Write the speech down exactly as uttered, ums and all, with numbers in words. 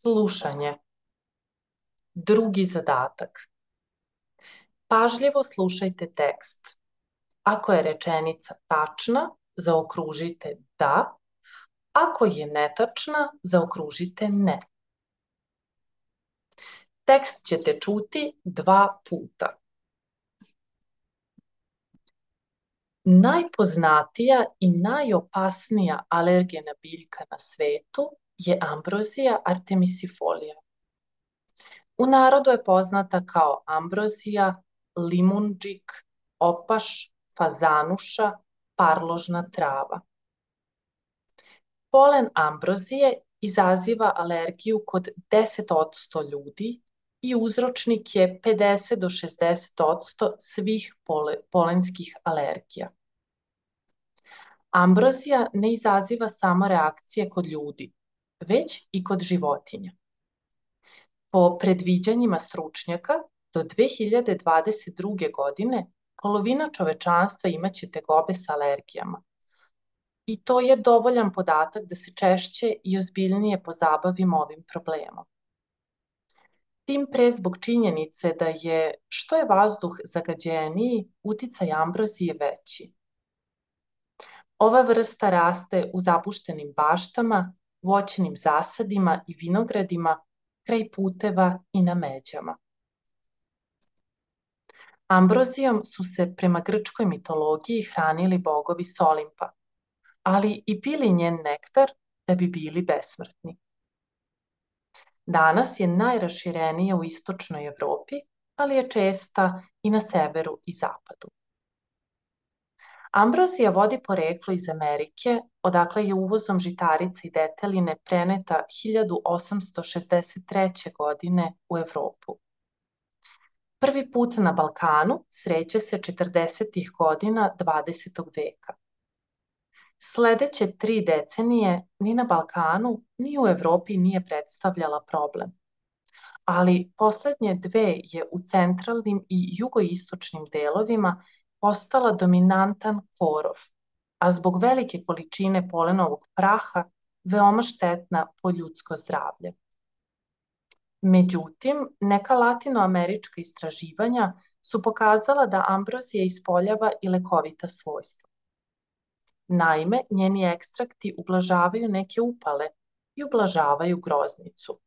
Slušanje. Drugi zadatak. Pažljivo slušajte tekst. Ako je rečenica tačna, zaokružite da. Ako je netačna, zaokružite ne. Tekst ćete čuti dva puta. Najpoznatija i najopasnija alergena biljka na svetu je ambrozija artemisifolia. U narodu je poznata kao ambrozija, limundžik, opaš, fazanuša, parložna trava. Polen ambrozije izaziva alergiju kod deset posto ljudi i uzročnik je pedeset do šezdeset posto svih pole, polenskih alergija. Ambrozija ne izaziva samo reakcije kod ljudi, već i kod životinja. Po predviđanjima stručnjaka, do dve hiljade dvadeset druge. godine polovina čovečanstva imaće tegobe sa alergijama. I to je dovoljan podatak da se češće i ozbiljnije pozabavimo ovim problemom. Tim pre zbog činjenice da je što je vazduh zagađeniji, uticaj ambrozije veći. Ova vrsta raste u zapuštenim baštama, voćnim zasadima i vinogradima, kraj puteva i na međama. Ambrozijom su se prema grčkoj mitologiji hranili bogovi s Olimpa, ali i pili njen nektar da bi bili besmrtni. Danas je najraširenija u istočnoj Evropi, ali je česta i na severu i zapadu. Ambrozija vodi poreklo iz Amerike, odakle je uvozom žitarica i deteline preneta hiljadu osamsto šezdeset treće. godine u Evropu. Prvi put na Balkanu sreće se četrdesetih godina dvadesetog veka. Sledeće tri decenije ni na Balkanu, ni u Evropi nije predstavljala problem. Ali poslednje dve je u centralnim i jugoistočnim delovima postala dominantan korov, a zbog velike količine polenovog praha veoma štetna po ljudsko zdravlje. Međutim, neka latinoamerička istraživanja su pokazala da ambrozija ispoljava i lekovita svojstva. Naime, njeni ekstrakti ublažavaju neke upale i ublažavaju groznicu.